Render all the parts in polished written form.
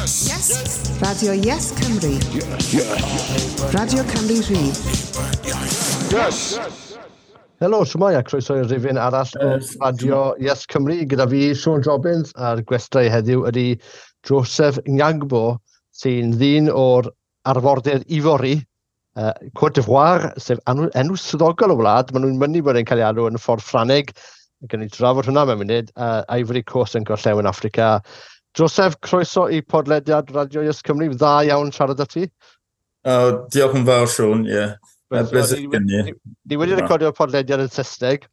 Yes! Yes! Radio Yes Cymru. Yes. Radio Cymru Rhydd. Yes! Helo, shwmae a croeso i'r rifyn arall o Radio Yes Cymru. Gyda fi, Sean Robbins, a'r gwestai heddiw ydy Joseph Gnagbo, sy'n ddyn o'r arfordir Ifori, Côte d'Ivoire, sef enw, enw swyddogol y wlad. Maen nhw'n mynnu bod e'n cael ei alw yn y ffordd Ffrangeg. Gan ni drafod hwnna mewn munud. Ivory Coast yn gorllewin Affrica. Joseph, croeso i podlediad Radio Yes Cymru. Dda iawn siarad â ti. Oh, diolch yn fawr, Sean, ie. Yeah. Bleser gen i. Ni wedi recordio'r podlediad yn Saesneg,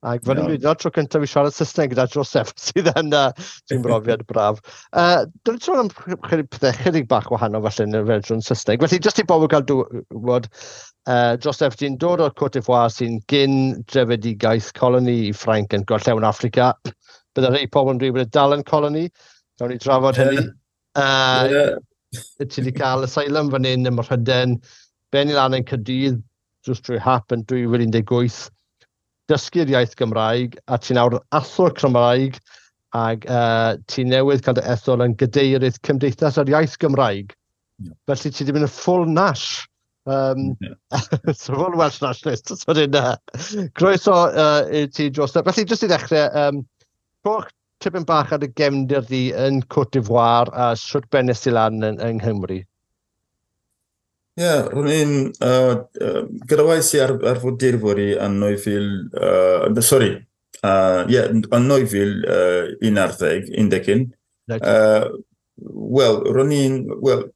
ac fan hyn no. tro cyntaf i siarad Saesneg gyda Joseph, sydd yn sy'n brofiad braf. Dwi'n sôn am chydig pethau chydig bach wahanol falle yn y fersiwn Saesneg. Felly, jyst i bobl gael gwybod, Joseph, ti'n dod o'r Côte d'Ivoire sy'n gyn drefedigaeth coloni i Ffrainc yn gorllewin Affrica. Bydde rhai pobl yn dweud bod e dal yn coloni. Gawn ni drafod hynny. Ti wedi cael asylum fan hyn ym Mhrydain, benni lan yn Caerdydd, jyst trwy hap yn 2018, dysgu'r iaith Gymraeg, a ti'n nawr athro Cymraeg, ac ti newydd cael dy ethol yn gadeirydd Cymdeithas yr Iaith Gymraeg. Yeah. Felly ti wedi mynd yn full nash. So full Welsh nationalist. So dyn, croeso i ti, Joseph. Felly, jyst i ddechrau, rhowch tipyn bach ar y gefndir di yn Côte d'Ivoire a sut bennes ti lan yng Nghymru? Ie, yeah, ro'n i'n... Gyrraedd i ar Fodurfori yn 2000... Sorry, yeah, yn 2011, 11. Right. Wel, ro'n i'n... Wel,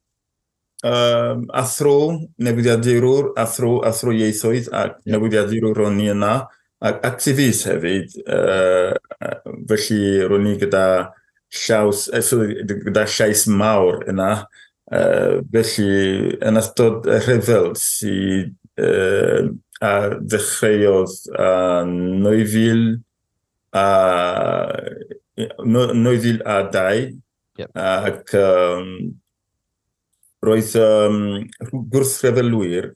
athro, newyddiadurwr, athro ieithoedd ac newyddiadurwr ro'n i yna, ac activist hefyd, felly ro'n i gyda llaws, sorry, gyda llais mawr yna, felly yn ystod y rhyfel sydd a ddechreuodd yn 2002, ac roedd gwrthryfelwyr,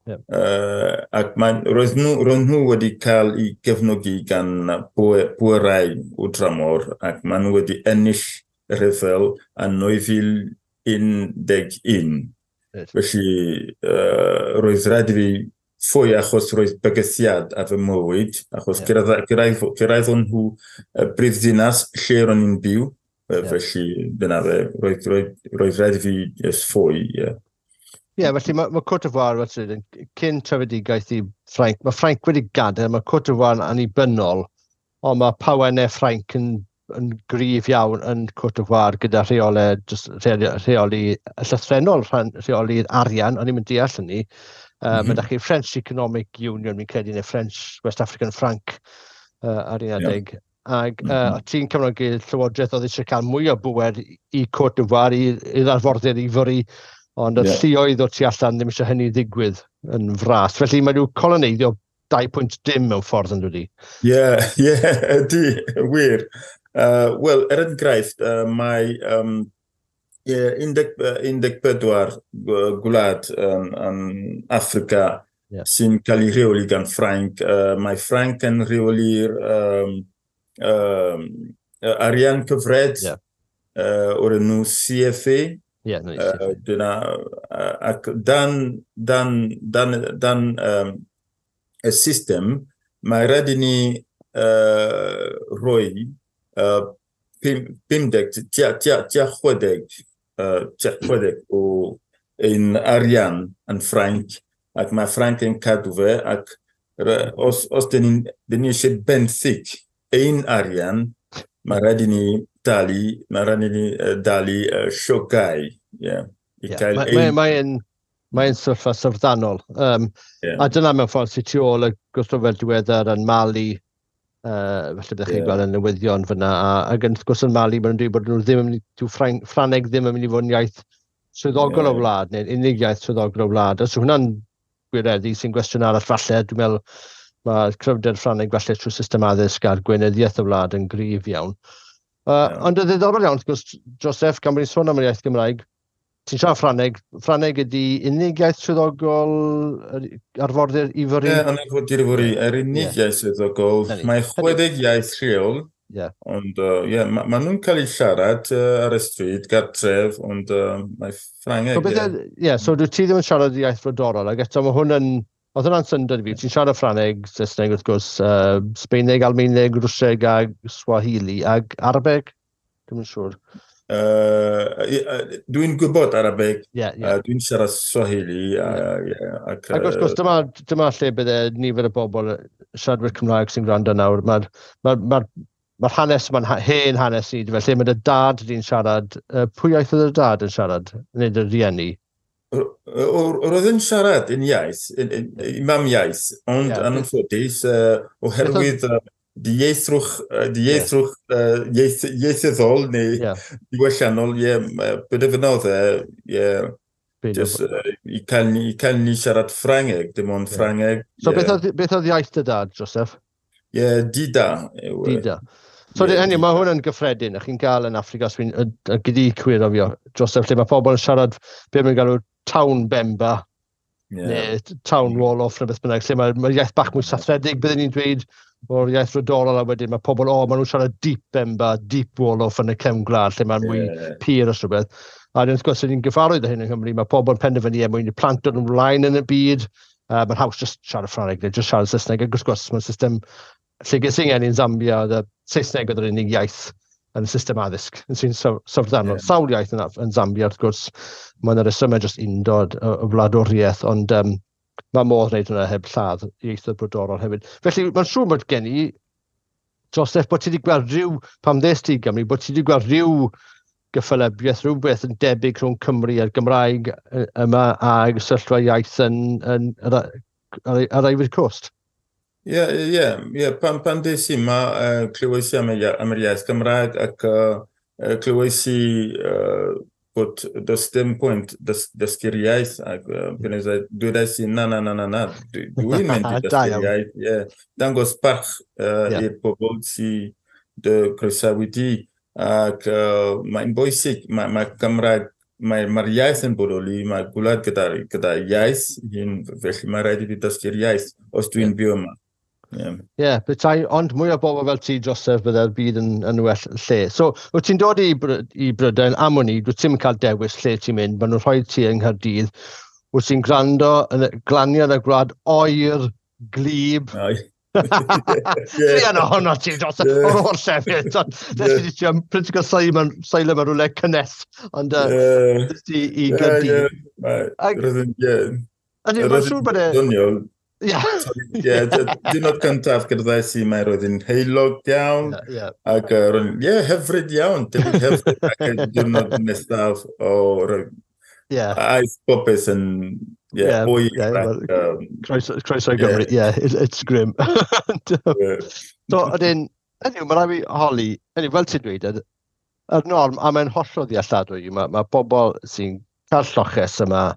ac roedd nhw wedi cael eu gefnogi gan bwerau o dramor, ac maen nhw wedi ennill y rhyfel yn 2011. Felly roedd rhaid i fi ffoi achos roedd bygythiad ar fy mywyd, achos cyrraeddon nhw y brifddinas lle ro'n i'n byw. Felly dyna fe, roedd rhaid i fi just ffoi, ie. Ie, felly mae Côte d'Ivoire, fel ti'n dweud, cyn trefedigaeth i Ffrainc, mae Ffrainc wedi gadael, mae Côte d'Ivoire yn annibynnol, ond mae pawennau Ffrainc yn gryf iawn yn Côte d'Ivoire gyda rheolau, just rheoli llythrennol, rheoli'r arian, o'n i'n mynd deall hynny. Mae da chi French Economic Union, fi'n credu, neu French West African Franc ar un adeg. Ac ti'n cefnogi llywodraeth oedd eisiau cael mwy o bŵer i Côte d'Ivoire, i'r arfordir Ifori, ond y lluoedd o tu allan ddim eisiau hynny ddigwydd yn fras. Felly mae nhw coloneiddio 2.dim mewn ffordd yn dod i. Ie, ie, ydy, wir. Wel, er enghraifft, mae 14 gwlad yn Affrica sy'n cael ei rheoli gan Ffrainc. Mae Ffrainc yn rheoli'r arian cyfred o'r enw CFA. Yeah, no, dyna, ac dan y system, mae rhaid i ni rhoi 50, tua 60, tua 60 o ein arian yn Ffrainc, ac mae Ffrainc yn cadw fe, ac os dyn ni eisiau benthyg ein arian, mae rhaid i ni dalu llogau. Mae'n sefyllfa syfrdanol. A dyna mewn ffordd sydd tu ôl y gwrthryfel diweddar yn Mali, felly byddech chi'n gweld y newyddion fyna. Ac wrth gwrs yn Mali, maen nhw'n dweud bod nhw ddim yn mynd i, dyw Ffrangeg ddim yn mynd i fod yn iaith swyddogol o wlad, neu'n unig iaith swyddogol o wlad. Os yw hwnna'n gwireddu, sy'n gwestiwn arall falle, dwi'n meddwl mae cryfder Ffrangeg falle trwy system addysg a'r gweinyddiaeth y wlad yn gryf iawn. Ond y ddiddorol iawn, wrth gwrs, Joseph, gan bod ni'n sôn am yr iaith Gymraeg, ti'n siarad Ffrangeg, Ffrangeg ydy unig iaith swyddogol arfordir Ifori? Ie, yn arfordir Ifori, yr unig iaith swyddogol. Mae 60 iaith lleol. Yeah. Ond, ie, yeah, ma nhw'n cael eu siarad ar y stryd, gartref, ond mae Ffrangeg, So, beth ie. Yeah, so dwi ti ddim yn siarad iaith frodorol, ac eto mae hwn yn... Oedd hwnna'n syndod i fi. Ti'n siarad Ffrangeg, Saesneg wrth gwrs, Sbeineg, Almaeneg, Rwsieg a Swahili, ag Arabeg? Dwi'm yn siŵr. Dwi'n gwybod Arabeg, Yeah. Dwi'n siarad Swahili, yeah, ac, Ac wrth gwrs, dyma lle bydde nifer o bobl siaradwyr Cymraeg sy'n gwrando nawr. Mae'r ma hanes yma'n hen hanes i, felly mae dy dad di'n siarad, pwy iaith oedd dy dad yn siarad, neu dy rieni? Roedd yn siarad yn iaith, yn mam iaith, ond anffodus, oherwydd dieithrwch ieithyddol neu diwylliannol, ie, penderfynodd e, ie, just, i cael ni siarad Ffrangeg, dim ond Ffrangeg. So beth oedd iaith dy dad, Joseph? Ie, Dida. Dida. So hynny, mae hwn yn gyffredin, a chi'n gael yn Affrica, os fi'n gyda cywiro fi, Joseph, lle mae pobl yn siarad be mae'n galw town Bemba, neu town Wolof, neu beth bynnag, lle mae iaith bach mwy sathredig, byddwn ni'n dweud o'r iaith frodorol, a wedyn mae pobl, o, maen nhw'n siarad deep Bemba, deep Wolof yn y cefn gwlad, lle mae'n mwy pur os rhywbeth. A wrth gwrs, ni'n gyfarwydd â hyn yng Nghymru, mae pobl yn penderfynu er mwyn i plant dod ymlaen yn y byd, mae'n haws just siarad Ffrangeg neu just siarad Saesneg, ac wrth gwrs, mae'n system lle ges i'n geni yn Zambia, oedd y Saesneg oedd yr unig iaith yn y system addysg, yn sy'n syfrdanol. Sawl iaith yn Zambia, wrth gwrs, mae'n resymau just undod y wladwriaeth, ond mae modd wneud hwnna heb lladd ieithoedd brodorol hefyd. Felly, mae'n siŵr bod gen i, Joseph, bod ti wedi gweld rhyw, pam ddes ti i Gymru, bod ti wedi gweld rhyw gyffelybiaeth, rhywbeth yn debyg rhwng Cymru a'r Gymraeg yma a sefyllfa iaith yn ar Ivory Coast. Ie. Pan des i yma, clywais i am yr iaith Gymraeg ac clywais i bod does dim pwynt dysgu'r iaith ac dwedais i na, na, na, na, na, dwi'n mynd i dysgu'r iaith. Yeah. Dangos parch i'r pobl sy'n dy croesawu di ac mae'n bwysig, mae Cymraeg, mae'r iaith yn bodoli, mae gwlad gyda iaith hyn, felly mae rhaid i fi dysgu'r iaith os dwi'n byw yma. Ie, yeah, petai, ond mwy o bobl fel ti, Joseph, bydde'r byd yn well lle. So, wyt ti'n dod i Brydain am wn i, dwyt ti'n cael dewis lle ti'n mynd, maen nhw'n rhoi ti yng Nghaerdydd. Wyt ti'n gwrando yn glanio yn y gwlad oer, glib. Druan ohono ti, Joseph, o'r holl llefydd. Nes i ti am political asylum mewn rhywle cynnes, ond nes ti i Gaerdydd. Ie, mae'n siŵr bod e... Doniol. Ie, diwrnod cyntaf gyrraeddais i, mae roedd yn heulog iawn, ac roedd, ie, hyfryd iawn, debyg hyfryd, ac y diwrnod nesaf, aeth popeth yn, ie, oer, ac... Croeso i Gymru, ie, it's grim. So, ydyn, anyway, mae rhaid fi holi, anyway, fel ti'n dweud, yr norm, a mae'n hollol ddealladwy, mae pobl sy'n cael lloches yma,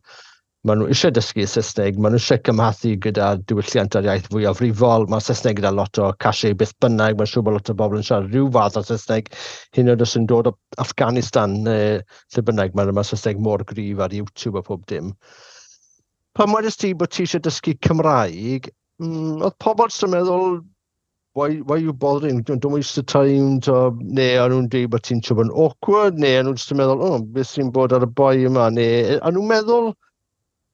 maen nhw eisiau dysgu Saesneg, maen nhw eisiau cymhathu gyda diwylliant a'r iaith fwyafrifol, mae Saesneg gyda lot o cachet beth bynnag, mae'n siŵr bod lot o bobl yn siarad rhyw fath o Saesneg, hyd yn oed os yn dod o Afghanistan neu lle bynnag, mae Saesneg mor gryf ar YouTube a pob dim. Pan wedest ti bod ti eisiau dysgu Cymraeg, oedd pobl jyst yn meddwl, why you bothering, don't waste the time, to, neu o'n nhw'n dweud bod ti'n siŵr bod yn awkward, neu o'n nhw'n jyst yn meddwl, oh, beth sy'n bod ar y boi yma, neu o'n nhw'n meddwl,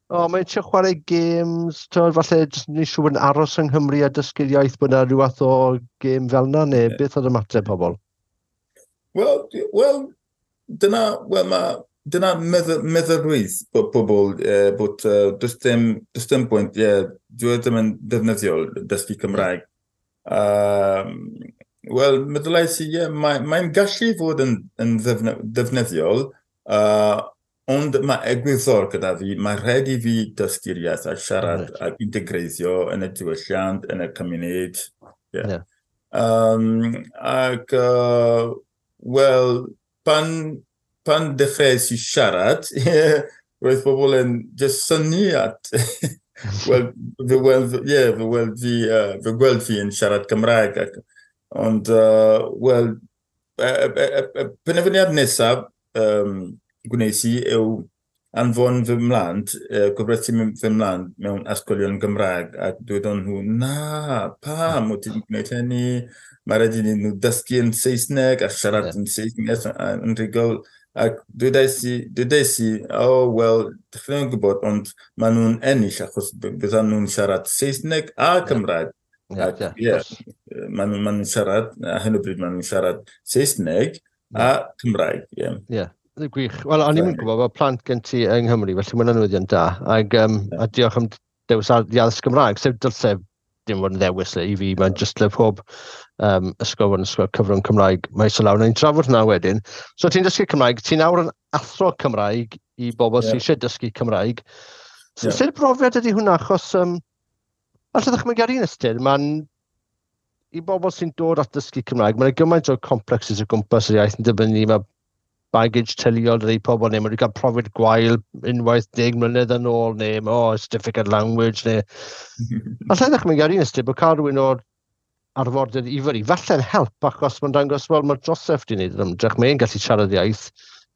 o, oh, mae'n eisiau chwarae games, to, falle jyst ni siŵr bod yn aros yng Nghymru a dysgu'r iaith bod yna rhyw fath o gêm fel yna, neu beth oedd ymateb pobl? Wel, dyna, well, dyna meddylrwydd bod pobl, bod does dim pwynt, ie, dwi ddim yn defnyddiol dysgu Cymraeg. Wel, meddylais i, ie, mae'n gallu fod yn ddefnyddiol, ond mae egwyddor gyda fi, mae rhaid i fi dysgu'r iaith a siarad ac integreiddio yn y diwylliant, yn y cymuned. Yeah. Ac, wel, pan dechreuais i siarad, roedd pobl yn just synnu at... Wel, fe gweld fi yn siarad Cymraeg. Ond, wel, penderfyniad nesaf gwnes i yw anfon fy mlant, gofrestru fy mlant mewn ysgolion Gymraeg, ac dwedon nhw, "Na, pam wyt ti'n gwneud hynny? Mae rhaid i nhw dysgu yn Saesneg a siarad yn Saesneg yn rhugl." Ac dwedais i, "Oh, wel, dych chi'n gwybod, ond maen nhw'n ennill achos byddan nhw'n siarad Saesneg a Cymraeg." Ac ie, maen nhw'n siarad, a hyn o bryd maen nhw'n siarad Saesneg a Cymraeg, ie. Ie. Gwych. Wel, o'n i'n gwybod bod plant gen ti yng Nghymru, felly mae'n newyddion da. Ac, a diolch am dewis i addysg Gymraeg, sef dylse dim fod yn ddewis le i fi, mae'n just le pob ysgol fod yn ysgol cyfrwng Cymraeg maes o law. Nawn trafod hwnna wedyn. So ti'n dysgu Cymraeg, ti'n nawr yn athro Cymraeg i bobl sydd eisiau dysgu Cymraeg. So, sut brofiad ydy hwnna? Achos, allai ddychmygu ar un ystyr, mae'n i bobl sy'n dod at dysgu Cymraeg, mae'n gymaint o complexes o gwmpas yr iaith yn dibynnu, mae baggage teuluol rhai pobl, neu maen nhw wedi cael profiad gwael unwaith 10 mlynedd yn ôl, neu "Oh, it's difficult language," neu... Allai ddechmygu ar un ystyr bod cael rhywun o'r arfordir i fyny, falle'n help achos mae'n dangos, wel, mae Joseph wedi gwneud yr ymdrech, mae'n gallu siarad iaith,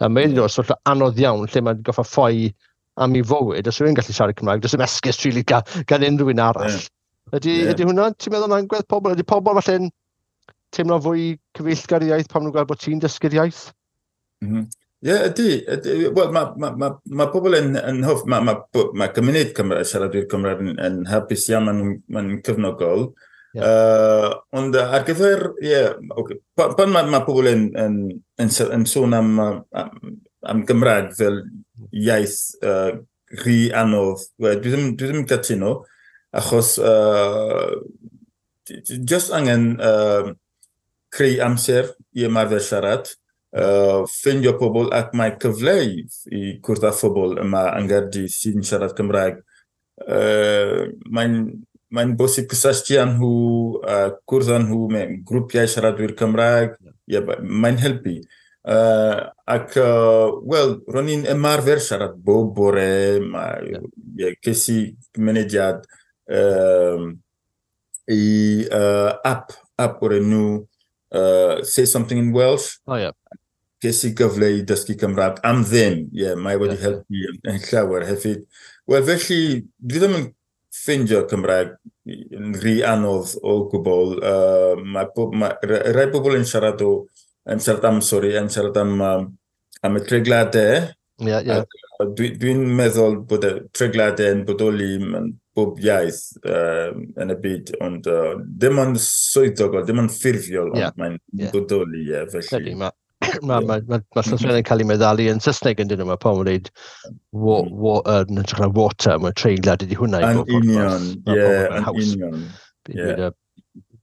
a mae'n dod o sefyllfa anodd iawn lle mae'n goffa ffoi am ei fywyd, os yw'n gallu siarad Cymraeg, does dim esgus really gan unrhyw un arall. Ydy hwnna, ti'n meddwl yn agwedd pobl? Ydy pobl falle'n teimlo fwy cyfeillgar i iaith pan nhw'n gweld bod ti'n dysgu'r iaith? Ie, ydy. Ydy. Wel, ma pobl yn hoff, ma gymuned Cymraeg, siaradwyr Cymraeg yn hapus iawn, ma nhw'n cefnogol. Ond ar gyfer, ie, yeah, okay. Pan ma pobl yn sôn am Gymraeg fel iaith rhy anodd, well, dwi ddim yn cytuno, achos just angen creu amser i ymarfer siarad, ffeindio pobl ac mae cyfle i cwrdd â phobl yma yng Nghaerdydd sy'n siarad Cymraeg. Mae'n bosib cysylltu â nhw, cwrdd â nhw mewn grwpiau siaradwyr Cymraeg. Yeah, mae'n helpu. Ac, wel, ro'n i'n ymarfer siarad bob bore, mae, yeah, ces i mynediad i app o'r enw Say Something in Welsh. Oh, yeah. Ces i gyfle i dysgu Cymraeg am ddim. Yeah, mae wedi helpu yn llawer hefyd. Wel, felly, dwi ddim yn ffeindio Cymraeg yn rhy anodd o gwbl. Mae rai bobl yn siarad am, sorry, yn siarad am y tregladau. Ie, ie. Dwi'n meddwl bod y tregladau yn bodoli mewn bob iaith yn y byd, ond dim ond swyddogol, dim ond ffurfiol, ond mae'n bodoli, ie, felly. Mae llythrennau'n cael ei meddalu yn Saesneg yn dyn nhw, mae pobl yn dweud yn hytrach na water, mae treiglad ydi hwnna i bob union, ie, yn union.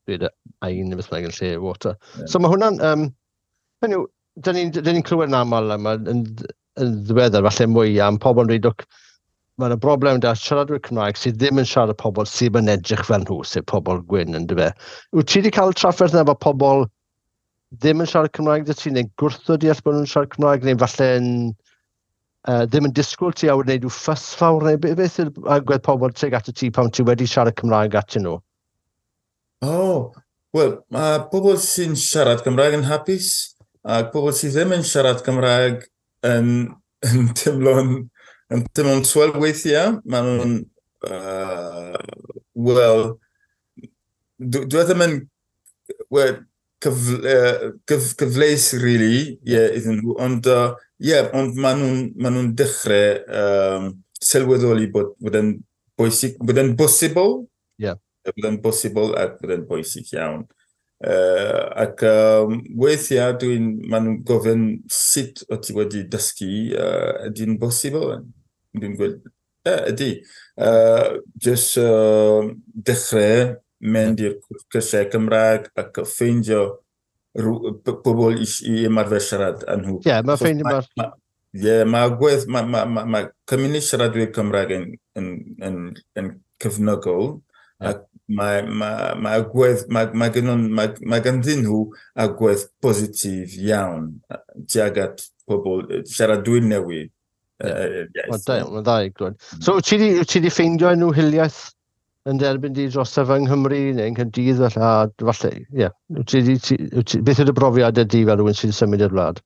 Byd y ein beth bynnag yn lle water. So mae hwnna'n, hynny yw, dyn ni'n ni clywed yn aml yma, yn ddiweddar falle mwy am pobl yn dweud, "Look, mae yna broblem da siaradwyr Cymraeg sydd ddim yn siarad pobl sydd yn edrych fel nhw, sef pobl gwyn," yn dyfe. Wyt ti wedi cael trafferth yna efo pobl ddim yn siarad Cymraeg dy ti, neu gwrthod deall bod nhw'n siarad Cymraeg, neu falle'n ddim yn disgwyl ti a wneud rhyw ffys fawr, neu beth yw'r agwedd pobl tuag at y ti pan ti wedi siarad Cymraeg atyn nhw? Oh, wel, mae pobl sy'n siarad Cymraeg yn hapus, ac pobl sydd ddim yn siarad Cymraeg yn teimlo'n swel weithiau. Maen nhw'n, wel, dwi ddim yn, well, cyfleus, really, yeah, iddyn nhw, ond, yeah, ond maen nhw'n dechrau sylweddoli bod yn bwysig, bod yn bosibl. Bod yn bosibl ac bod yn bwysig iawn. Ac weithiau maen nhw'n gofyn sut o ti wedi dysgu, ydy'n bosibl? Dwi'n gweud, "Ie, ydy." Just dechrau mynd i'r cyrsiau Cymraeg ac ffeindio pobl i ymarfer siarad â nhw. Ie, mae ffeindio Ie, mae agwedd, ma cymuned siaradwyr Cymraeg yn cefnogol, ac mae agwedd, mae ganddyn nhw agwedd positif iawn tuag at pobl siaradwyr newydd. Mae'n da, mae'n dda i glywed. So, wyt ti di ffeindio enw hiliaeth yn derbyn di dros yng Nghymru neu yng Nghaerdydd falle, a falle, ie. Wyt ti, beth yw'r brofiad ydy fel rhywun sy'n symud i'r wlad?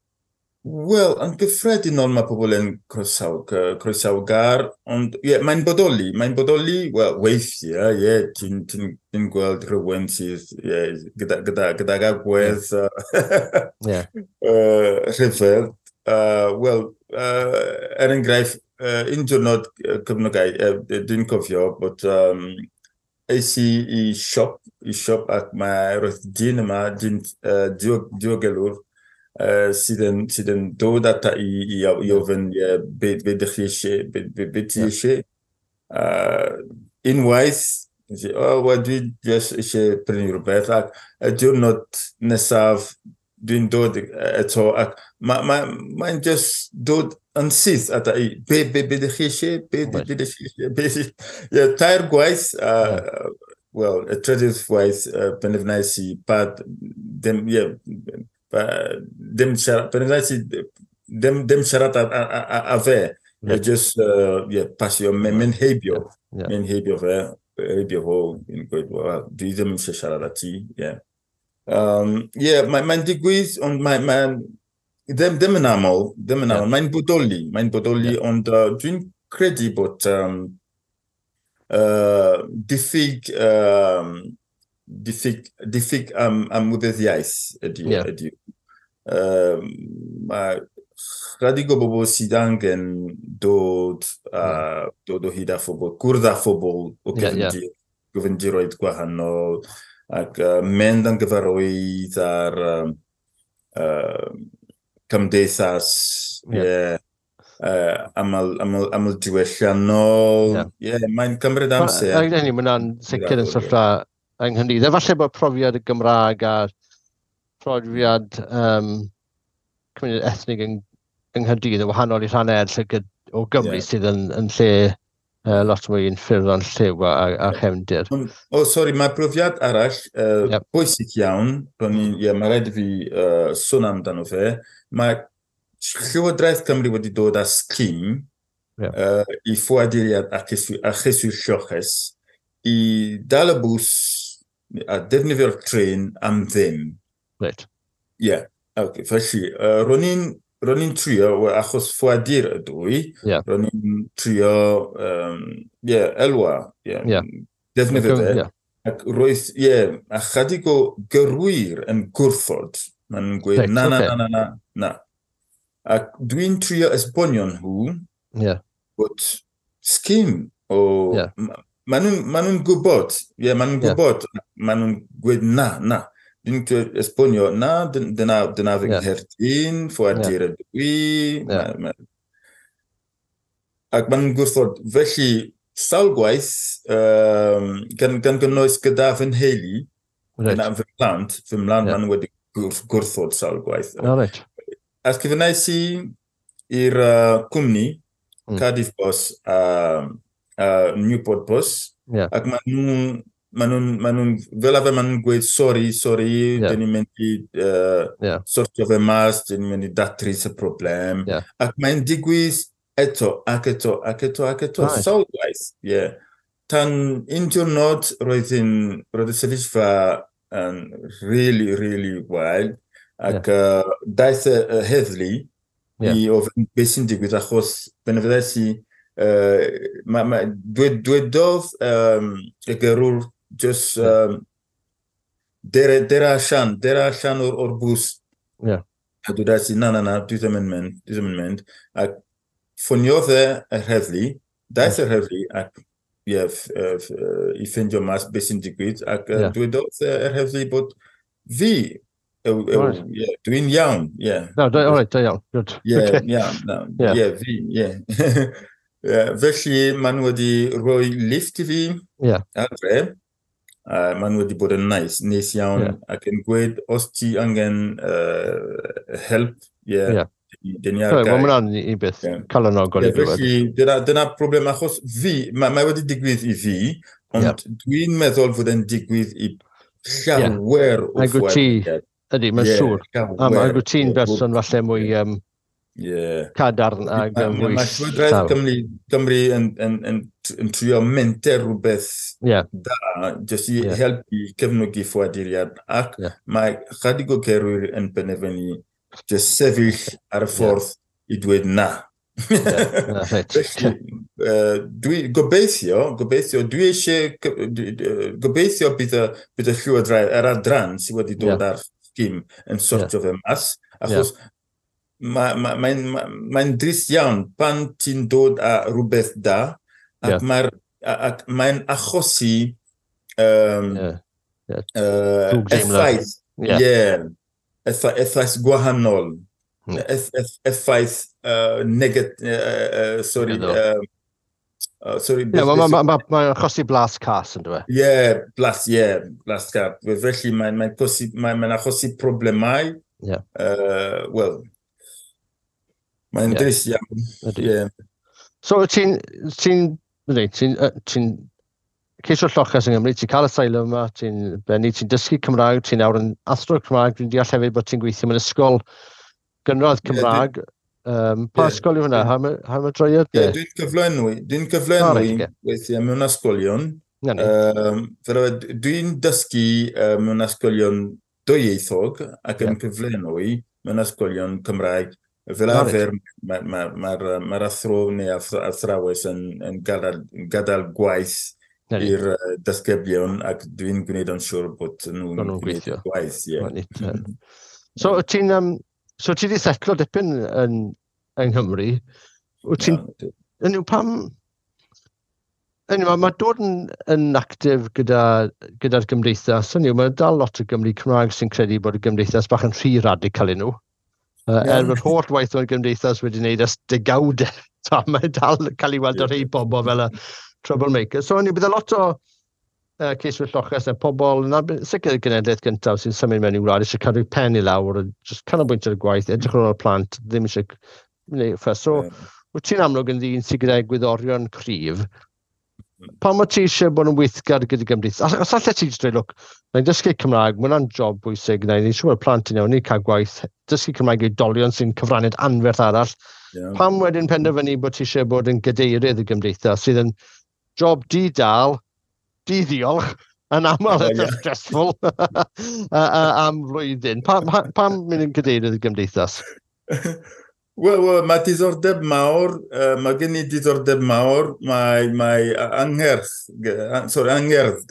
Wel, yn gyffredinol mae pobl yn croesawgar, ond ie, yeah, mae'n bodoli. Mae'n bodoli, wel, weithiau, ie, yeah, ti'n ti, ti gweld rhywun sydd, yeah, gydag agwedd rhyfedd. Wel, er enghraifft, un diwrnod cyfnogau, dwi'n cofio bod es i i siop ac mae roedd dyn yma, dyn diogelwr, sydd yn dod ata i ofyn, yeah, be ydych chi eisiau, be ti eisiau. Unwaith, oh, well, dwi just eisiau prynu rhywbeth, ac y diwrnod nesaf dwi'n dod eto, ac mae'n ma just dod yn syth ata i, be ydych chi eisiau, be ydych chi eisiau, be, yeah, tair gwaith, wel, y trydydd gwaith, penderfynais i pa, dim, yeah, dim siarad, penderfynais i dim siarad a fe. Yeah. Just, yeah, pasio, mynd heibio. Mynd heibio fe, heibio fo, yn gweud, well, dwi ddim eisiau siarad â ti, yeah. Yeah, mae'n mae digwydd, ond mae'n mae, ddim yn aml, ddim yn aml. Mae'n bodoli, ond dwi'n credu bod diffyg ymwybyddiaeth ydy. Ydy. Mae chydig o bobl sydd angen dod o hyd â phobl, cwrdd â phobl o gefndir, gefndiroedd gwahanol, ac mynd yn gyfarwydd ar cymdeithas, yeah, aml diwylliannol. Yeah, mae'n cymryd amser. Mae hwnna'n sicr yn sefyllfa yng Nghymru. Falle bod profiad y Gymraeg a profiad cymuned ethnig yng Nghaerdydd yn wahanol i rhannau eraill o Gymru sydd yn lle lot mwy yn ffurf o'n lliw a chefndir. O, oh, sori, mae profiad arall bwysig iawn, yeah, mae rhaid i fi sôn amdano fe. Mae Llywodraeth Cymru wedi dod â scheme i ffoaduriaid a cheiswyr lloches i dal y bws a defnyddio'r tren am ddim. Ie, yeah. Okay. Felly, ro'n i'n trio, achos ffoadur ydw i, ro'n i'n trio, yeah, elwa, yeah, defnyddio fe. Ac roedd, ie, yeah, a chydig o gyrwyr yn gwrthod. Maen nhw'n gweud, na, na, na, na, na, na. Ac dwi'n trio esbonio nhw bod scheme o. Maen nhw'n ma nhw gwybod, ie, yeah, maen nhw'n gwybod, maen nhw'n gweud na, na. Dwi'n esbonio, na, dyna fy ngherdyn, ffoadur ydw i. Ac maen nhw'n gwrthod, felly, sawl gwaith, gan gynnwys gyda fy nheulu, gyda fy mhlant, maen nhw wedi gwrthod sawl gwaith. Oh, right. Ysgrifennais i i'r cwmni, Cardiff Bus a Newport Bus, ac maen nhw'n, fel arfer maen nhw'n gweud, "Sorry, sorry, dyn ni'n mynd i sortio fe mas, dyn ni'n mynd i datrys y problem." Ac mae'n digwydd eto, ac eto, ac eto, ac eto, sawl gwaith. Yeah. Tan un diwrnod roedd y sefyllfa yn really, really wael, ac daeth y heddlu i ofyn beth sy'n digwydd, achos penderfynais i, dwedodd y gyrrwr just dere allan o'r bws. A dwedais i, "Na, na, na, dwi ddim yn mynd, dwi ddim yn mynd." Ac ffoniodd e yr heddlu, daeth yr heddlu ac yeah, i ffeindio mas beth sy'n digwydd, ac dwedodd yr heddlu bod fi, yeah, dwi'n iawn, yeah. No, all right, da iawn, good. Yeah, yeah, no, yeah, fi, yeah. Yeah, felly, maen nhw wedi rhoi lift i fi adre. Maen nhw wedi bod yn nice iawn, ac yn gweud, os ti angen help, yeah, dyn ni ar gael. Wel, mae hwnna'n i beth calonogol i glywed. Felly, dyna problem, achos fi, mae wedi digwydd i fi, ond dwi'n meddwl fod e'n digwydd i llawer o ffoaduriaid. Ydy, mae'n siŵr. A mae ti'n berson falle mwy cadarn ac mwy. Mae Llywodraeth Cymru yn trio menter rhywbeth da, jyst i helpu cefnogi ffoaduriaid, ac mae chydig o gyrwyr yn penderfynu Just sefyll ar y ffordd i dweud na. Felly, dwi gobeithio, dwi eisiau, gobeithio bydd y llywodraeth, yr adran sydd wedi dod ar scheme yn sortio fe mas, achos mae'n ma drist iawn pan ti'n dod â rhywbeth da, ac mae'n achosi effaith, effaith gwahanol, effaith sorry, sorry. Ie, mae'n achosi blas cas, yn dweud? Ie, blas cas. Felly mae'n achosi problemau. Wel, mae'n drist iawn. So, ti'n ceisio lloches yng Nghymru, ti'n cael asylum yma, ti'n bennu, ti'n dysgu Cymraeg, ti'n nawr yn athro Cymraeg, dwi'n deall hefyd bod ti'n gweithio mewn ysgol gynradd Cymraeg. Pa ysgol yw hwnna? Ha mae droiad? Dwi'n cyflenwi weithiau mewn ysgolion. Dwi'n dysgu mewn ysgolion dwyieithog ac yn cyflenwi mewn ysgolion Cymraeg. Fel arfer, mae'r athro neu athrawes yn gadael gwaith i'r disgyblion, ac dwi'n gwneud yn siŵr bod nhw'n gwneud gwaith. So, so ti wedi setlo dipyn yng Nghymru. Pam... Mae dod yn actif gyda'r gymdeithas. Mae dal lot o Gymry Cymraeg sy'n credu bod y gymdeithas bach yn rhy radical i nhw. Er bod holl waith o'r gymdeithas wedi wneud ers degawdau, mae dal cael ei weld ar rhai bobl fel y troublemaker. So, bydd lot o ceiswyr lloches a pobl, sicr y genedlaeth gyntaf sy'n symud mewn i wlad, eisiau cadw pen i lawr, just canolbwyntio ar y gwaith, edrych ar ôl y plant, ddim eisiau gwneud ffys. So, wyt ti'n amlwg yn ddyn sydd gyda egwyddorion cryf. Pam wyt ti eisiau bod yn weithgar gyda gymdeithas? Os allet ti jyst dweud, look, na i'n dysgu Cymraeg, mae hwnna'n job bwysig, na i'n siŵr bod plant yn iawn, ni'n cael gwaith, dysgu Cymraeg i oedolion sy'n cyfraniad anferth arall. Pam wedyn penderfynu bod ti eisiau bod yn gadeirydd y gymdeithas sydd yn job di-dal, di-ddiolch, yn aml eitha stressful am flwyddyn. Pam mynd yn gadeirydd y gymdeithas? Wel, mae diddordeb mawr, mae gen i diddordeb mawr, mae angerdd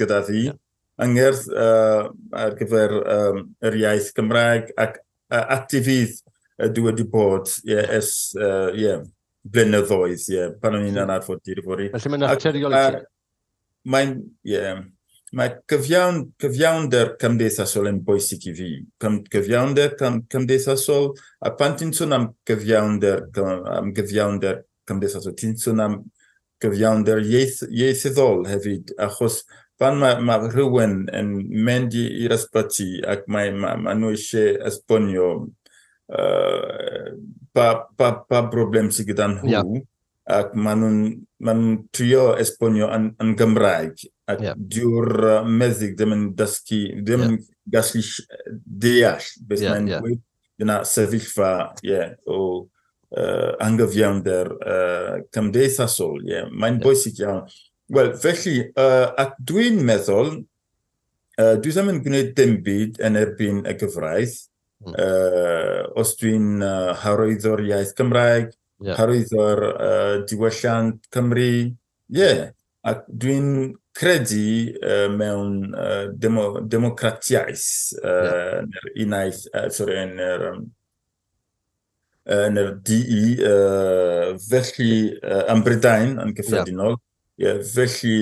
gyda fi, angerdd ar gyfer yr iaith Gymraeg ac actifydd dwi wedi bod ers blynyddoedd, pan o'n i'n anarfod i'r fory. Felly mae'n naturiol i ti? Mae cyfiawnder cymdeithasol yn bwysig i fi. Cyfiawnder cymdeithasol, a pan ti'n sôn am gyfiawnder cymdeithasol, ti'n sôn am gyfiawnder ieithyddol hefyd, achos pan mae rhywun yn mynd i'r ysbyty ac mae nhw eisiau esbonio pa broblem sydd gyda nhw, ac maen nhw'n trio esbonio yn Gymraeg, ac dyw'r meddyg ddim yn dysgu, ddim yn gallu deall beth mae'n dweud. Dyna sefyllfa o anghyfiawnder cymdeithasol. Mae'n bwysig iawn. Wel, felly, ac dwi'n meddwl, dwi ddim yn gwneud dim byd yn erbyn y gyfraith. Os dwi'n hyrwyddo'r iaith Gymraeg, hyrwyddo'r diwylliant Cymru, ac dwi'n credu mewn democratiaeth yn yr unaeth, yn yr DE, felly yn Brydain yn gyffredinol, felly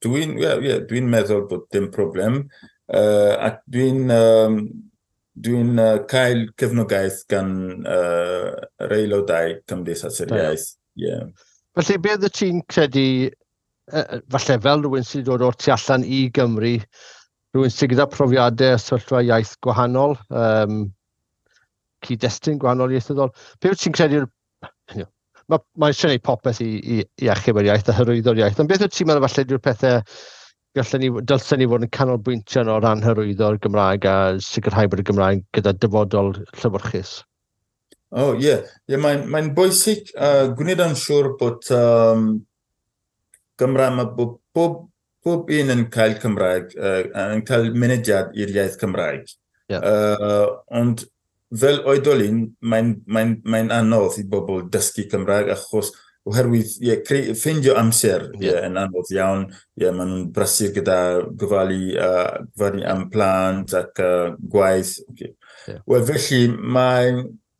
dwi'n meddwl bod dim problem, ac dwi'n cael cefnogaeth gan yr aelodau Cymdeithas yr Iaith. Felly, beth wyt ti'n credu, falle fel rhywun sydd dod o'r tu allan i Gymru, rhywun sydd gyda profiadau sefyllfa iaith gwahanol, cyd-destun gwahanol ieithyddol, beth wyt ti'n credu, mae eisiau gwneud popeth i achub yr iaith a hyrwyddo'r iaith, ond beth wyt ti'n meddwl falle yw'r pethau dylsen ni fod yn canolbwyntio o ran hyrwyddo'r Gymraeg a sicrhau bod y Gymraeg gyda dyfodol llewyrchus? O, ie. Mae'n bwysig gwneud yn siŵr bod Gymraeg, mae pob un yn cael Cymraeg, yn cael mynediad i'r iaith Cymraeg. Ond fel oedolyn, mae'n mae anodd i bobl dysgu Cymraeg achos oherwydd ie, ffeindio amser yn anodd iawn. Ie, maen nhw'n brysur gyda gofalu, gofalu am plant ac gwaith. Okay. Wel, felly, mae,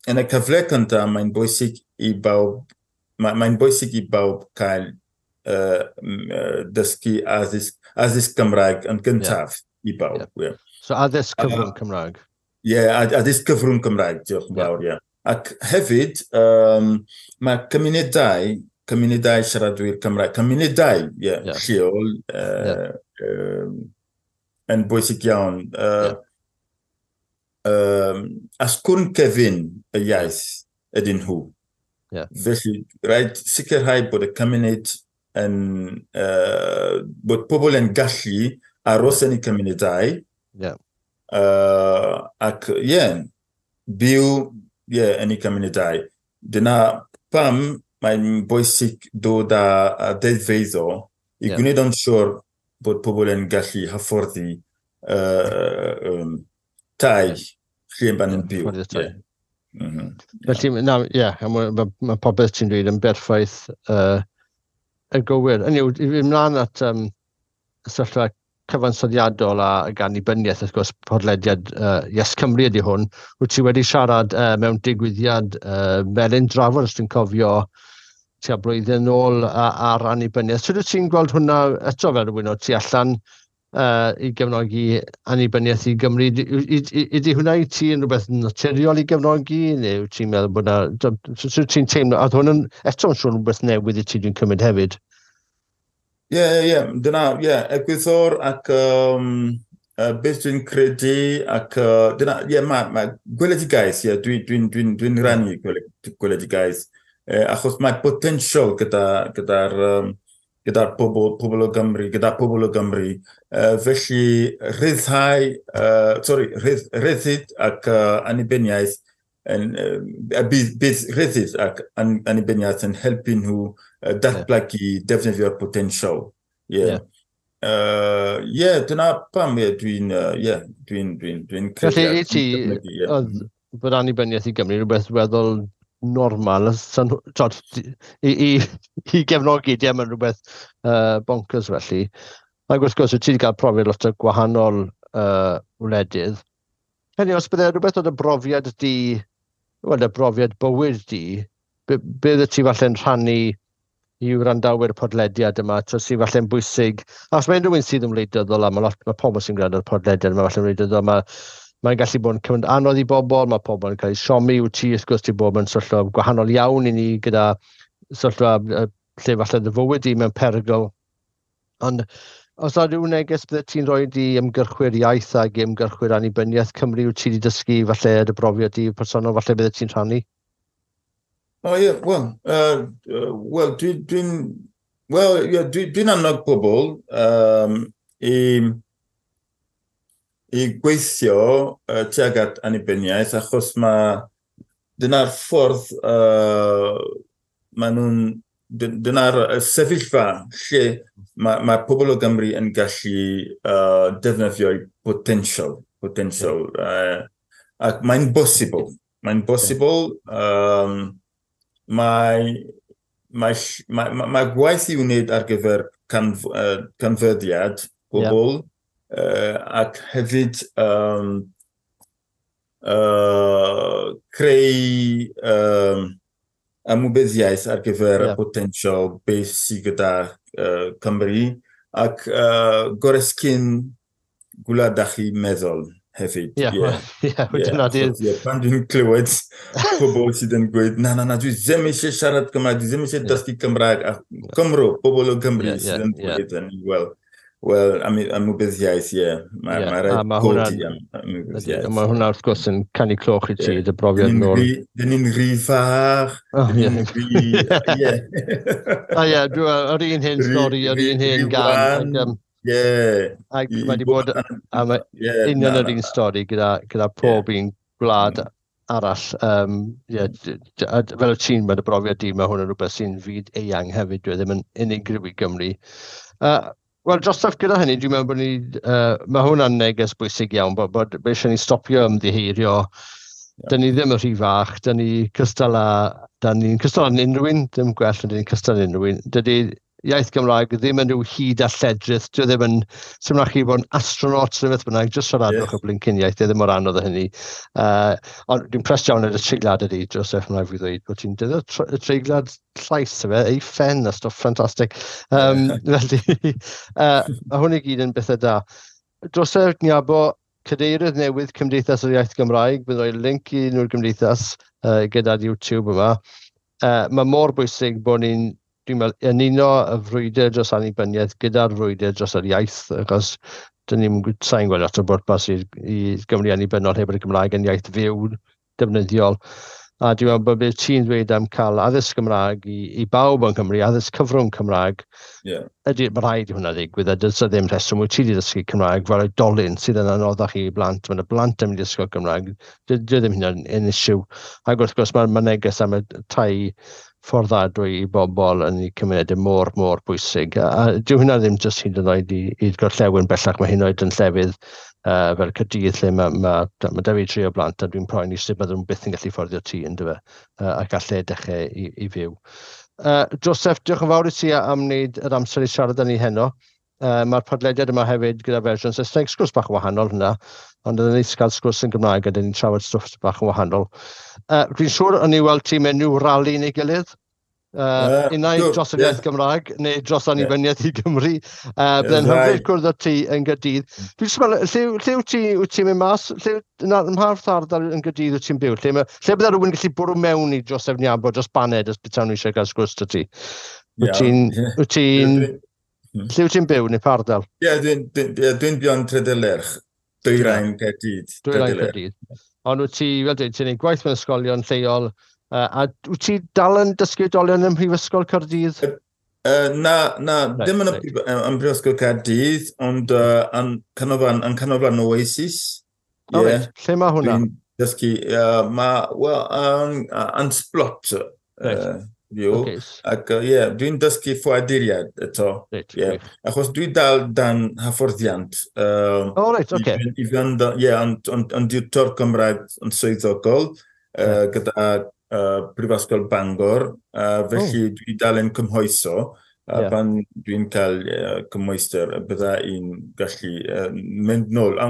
yn y cyfle cyntaf, mae'n bwysig i bawb, mae'n bwysig i bawb cael dysgu addysg Gymraeg yn gyntaf i bawb. Yeah. So addysg cyfrwng Cymraeg? Ie, yeah, addysg cyfrwng Cymraeg, diolch yn fawr, ie. Ac hefyd, mae cymunedau siaradwyr Cymraeg, cymunedau lleol yn bwysig iawn. Asgwrn cefn y iaith ydyn nhw. Felly, rhaid sicrhau bod y cymuned yn, bod pobl yn gallu aros yn eu cymunedau. Ac byw yn eu cymunedau. Dyna pam mae'n bwysig dod â deddfeiddo i gwneud yn siŵr bod pobl yn gallu hyfforddi tai lle maen nhw'n byw. Felly, na, ie, mae popeth ti'n dweud yn berffaith y gywir. Hynny yw, i fynd ymlaen at sefyllfa cyfansoddiadol a annibyniaeth, wrth gwrs, podlediad Yes Cymru ydy hwn. Wyt ti wedi siarad mewn digwyddiad Melin Drafod, os dwi'n cofio, tua blwyddyn nôl ar annibyniaeth. Sut wyt ti'n gweld hwnna eto fel rhywun o tu allan i gefnogi annibyniaeth i Gymru? Ydy hwnna i ti yn rhywbeth naturiol i gefnogi, neu wyt ti'n meddwl bod na... Sut wyt ti'n teimlo? A oedd hwn yn, eto yn siŵr rhywbeth newydd i ti dwi'n cymryd hefyd. Ie, dyna, ie, egwyddor ac beth dwi'n credu ac dyna, ie, mae gweledigaeth, ie, dwi'n rhannu gweledigaeth, achos mae potensial gyda'r pobl o Gymru, gyda pobl o Gymru, felly rhyddhau, rhyddid ac annibyniaeth, bydd rhyddid ac annibyniaeth yn helpu nhw datblygu defnyddio'r potensial. Ie, dyna pam dwi'n credu. Felly i ti, oedd bod annibyniaeth i Gymru rhywbeth weddol normal, i gefnogi, dim yn rhywbeth bonkers felly. Ac wrth gwrs, ti wedi cael profiad lot o gwahanol wledydd. Hynny, os bydde rhywbeth o dy brofiad di, wel, dy brofiad bywyd di, bydde ti falle'n rhannu i wrandawyr y podlediad yma, sydd falle'n bwysig. Os mae unrhyw un sydd yn wleidyddol, a mae pobl sy'n gwrando ar y podlediad yma falle'n wleidyddol, mae'n gallu bod yn cyfnod anodd i bobl, mae pobl yn cael eu siomi, wyt ti, wrth gwrs, ti bod mewn sefyllfa gwahanol iawn i ni gyda sefyllfa lle falle dy fywyd di mewn perygl. Ond os yna rhyw neges bydde ti'n rhoi i ymgyrchwyr iaith ac ymgyrchwyr annibyniaeth Cymru, wyt ti wedi dysgu falle dy brofiad di personol, falle bydde ti'n rhannu? O ie, wel, dwi'n annog pobl i gweithio tuag at annibyniaeth, achos mae dyna'r ffordd maen nhw'n, dyna'r sefyllfa lle mae pobl o Gymru yn gallu defnyddio'u potensial, ac mae'n bosibl, mae gwaith i'w wneud ar gyfer canfyddiad pobl, ac hefyd creu ymwybyddiaeth ar gyfer y potensial beth sydd gyda Cymru, ac goresgyn gwlad â chi meddwl hefyd. Pan dwi'n clywed pobl sydd yn gweud, na, dwi ddim eisiau siarad Cymraeg, dwi ddim eisiau dysgu Cymraeg, a Cymro, pobl o Gymru sydd yn dweud hynny, wel, ymwybyddiaeth, ie. Mae rhaid codi ymwybyddiaeth. Mae hwnna wrth gwrs yn canu cloch i ti, dy brofiad nôl. Dyn ni'n rhy fach, dyn ni'n rhy... Ie. Ie, yr un hen stori, yr un hen gan. Ie. Ac mae wedi bod am union yr un stori gyda pob un gwlad arall. Fel y ti'n mynd y brofiad di, mae hwn yn rhywbeth sy'n fyd eang hefyd, dwi ddim yn unigryw i Gymru. Wel, drosodd gyda hynny, dwi'n meddwl bod ni... mae hwnna'n neges bwysig iawn, bod eisiau ni stopio ymddiheirio Dyn ni ddim yn rhy fach, dyn ni cystal â, dyn ni'n cystal â unrhyw un, ddim gwell, dyn ni'n cystal â unrhyw un. Dydy iaith Gymraeg ddim yn rhyw hud a lledrith, dyw e ddim yn, sy'n rhaid chi bod yn astronaut neu beth bynnag, jyst siaradwch y blincyn iaith, dyw e ddim mor anodd â hynny. Ond dwi'n impressed iawn ar y treiglad ydy, Joseph, mae'n rhaid fi ddweud, bod ti'n defnyddio y treiglad llais, efe, ei ffen a stwff ffantastig. Felly, mae hwn i gyd yn bethau da. Joseph Nyabo, cadeirydd newydd Cymdeithas yr Iaith Gymraeg, bydd rhoi link i nhw'r gymdeithas gyda'r YouTube yma. Mae mor bwysig bod ni'n, dwi'n meddwl, yn uno y frwydr dros annibyniaeth gyda'r frwydr dros yr iaith, achos dyn ni'n sa'n gweld lot o bwrpas i Gymru annibynnol heb y Gymraeg yn iaith fyw defnyddiol. A dwi'n meddwl bod beth ti'n dweud am cael addysg Gymraeg i bawb yng Nghymru, addysg cyfrwng Cymraeg, ydy, mae rhaid i hwnna ddigwydd, a does 'na ddim rheswm wyt ti wedi dysgu Cymraeg fel oedolyn sydd yn anoddach i blant, mae yna blant yn mynd i ysgol Gymraeg, dydy ddim hynna'n yn issue. Ac wrth gwrs mae neges am y tai fforddadwy i bobl yn eu cymunedau mor, mor bwysig. A dyw hynna ddim jyst hyd yn oed i'r gorllewin bellach, mae hyn oed yn llefydd fel Caerdydd lle mae 'da fi tri o blant a dwi'n poeni sut bydden nhw byth yn gallu fforddio tŷ yndyfe, a gallai dechrau i fyw. Joseph, diolch yn fawr i ti am wneud yr amser i siarad â ni heno. Mae'r podlediad yma hefyd gyda fersiwn Saesneg, sgwrs bach yn wahanol hynna, ond yn neis cael sgwrs yn Gymraeg a dyn ni'n trafod stwff bach yn wahanol. Dwi'n siŵr o'n i weld ti mewn rhyw rali neu gilydd. Unai dros yr iaith Gymraeg neu dros annibyniaeth i Gymru. Byddai'n hyfryd cwrdd â ti yn Gaerdydd. Dwi'n jyst meddwl, lle wyt ti'n mynd mas? Lle, na, ym mha ardal yn Gaerdydd wyt ti'n byw? Lle bydde rhywun yn gallu bwrw mewn i Joseph Nyabo dros baned os betawn nhw eisiau cael sgwrs 'da ti? Wyt ti'n... Wyt ti'n... Lle wyt ti'n byw neu pa ardal? Ie, dwi'n byw yn Tredelerch, Dwyrain Caerdydd. Dwyrain Caerdydd. Ond wyt ti, fel dweud, ti'n gwneud gwaith mewn ysgolion lleol, a wyt ti dal yn dysgu oedolion ym Mhrifysgol Caerdydd? Na, na, right, ddim yn yn Brifysgol Caerdydd, ond yn canolfan Oasis. Oh, yeah. Reit. Lle mae hwnna? Dwi'n dysgu, mae, wel, yn Splott. Right. Okay. Ac yeah, dwi'n dysgu ffoaduriaid eto. Right, yeah. Achos dwi dal dan hyfforddiant. Oh, right, okay. I fynd, yeah, yn diwtor Cymraeg yn swyddogol gyda Prifysgol Bangor. Felly dwi dal yn cymhwyso. Pan dwi'n cael cymhwyster, bydda i'n gallu mynd nôl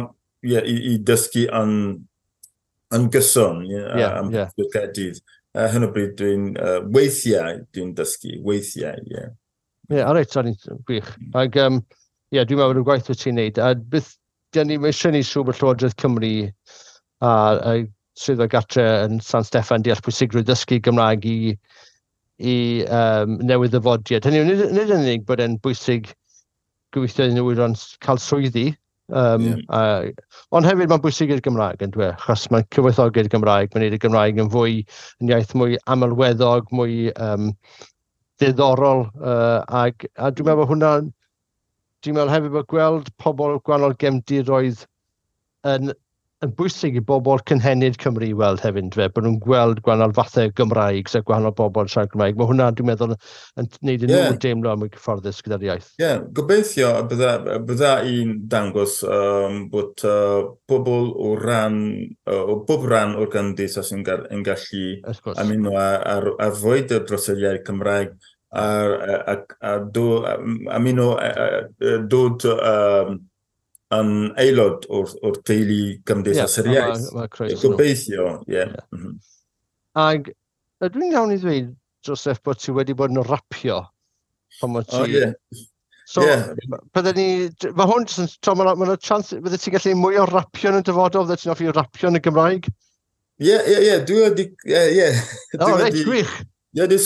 i dysgu yn gyson am Caerdydd. Hyn o bryd dwi'n weithiau dwi'n dysgu, weithiau, ie. Ie, reit, sori, gwych. Ac, ie, dwi'n meddwl bod y gwaith wyt ti'n neud, a beth, dyn ni, mae eisiau ni siŵr bod Llywodraeth Cymru a Swyddfa Gartre yn San Steffan deall pwysigrwydd dysgu Gymraeg i newydd ddyfodiad. Hynny yw, nid yn unig bod e'n bwysig gobeithio iddyn nhw ran cael swyddi, ond hefyd mae'n bwysig i'r Gymraeg yn dweud, achos mae'n cyfoethogi'r Gymraeg, mae'n gwneud y Gymraeg yn fwy, yn iaith mwy amlweddog, mwy ddiddorol, a dwi'n meddwl hwnna, dwi'n meddwl hefyd bod gweld pobl gwahanol gefndiroedd yn bwysig i bobl cynhenid Cymru i weld hefyd, yndyfe, bod nhw'n gweld gwahanol fathau Gymraeg, sef gwahanol bobl yn siarad Gymraeg. Mae hwnna, dwi'n meddwl, yn gwneud i nhw deimlo mwy cyfforddus gyda'r iaith. Ie, yeah, gobeithio bydda i'n dangos bod pobl o bob rhan o'r gymdeithas yn gallu ymuno ar frwydr dros yr iaith Cymraeg a ymuno dod yn aelod o'r teulu Cymdeithas yr Iaith. Gobeithio, ie. Ac ydw i'n iawn i ddweud, Joseph, bod ti wedi bod yn rapio? Pan bod ti... O, ie. So, bydde ni... Mae hwn jyst yn... Mae yna chance... Bydde ti'n gallu mwy o rapio yn y dyfodol? Bydde ti'n hoffi rapio yn y Gymraeg? Ie, ie, ie. Dwi wedi... Ie, ie. O, reit, gwych. Dwi wedi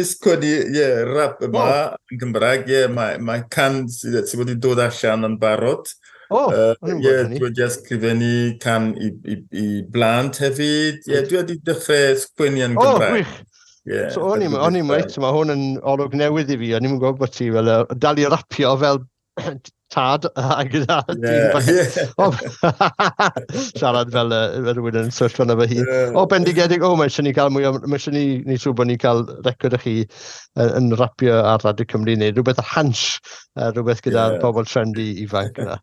sgwennu, ie, rap yma yn Gymraeg, ie, mae can sydd wedi dod allan yn barod. O, o'n i'n gwybod hynny. Dwi wedi ysgrifennu can i blant hefyd. Ie, dwi wedi dechrau sgwennu yn Gymraeg. O, gwych. So, o'n i'n reit, mae hwn yn olwg newydd i fi, o'n i'n gwybod bod ti fel dal i rapio fel Tad a gyda siarad fel rhywun yn sefyllfa yna fy hun. O, bendigedig, o, mae eisiau ni cael mwy o, mae eisiau ni siŵr bod ni'n cael record o chi yn rapio ar Radio Cymru neu rhywbeth o Hansh, rhywbeth gyda'r pobl trendy ifanc yna.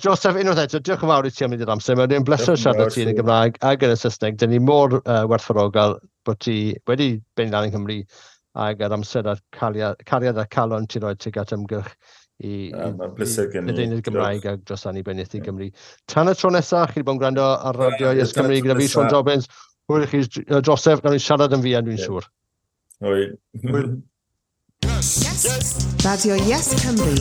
Joseph, unwaith eto, diolch yn fawr i ti am mynd i'r amser. Mae'n bleser siarad ti yn y Gymraeg ac yn y Saesneg. Dyn ni mor werthfawrogol bod ti wedi benni lan yng Nghymru ac yr amser a'r cariad a'r calon ti'n rhoi tuag at ymgyrch i ledaenu'r Gymraeg ac dros annibyniaeth i Gymru. Tan y tro nesaf, chi wedi bod yn gwrando ar Radio Yes Cymru gyda fi, Siôn Jobbins. Hwyl i chi, Joseph, nawn ni siarad yn fuan, dwi'n siŵr. Hwyl. Hwyl. Yes. Radio Yes Cymru.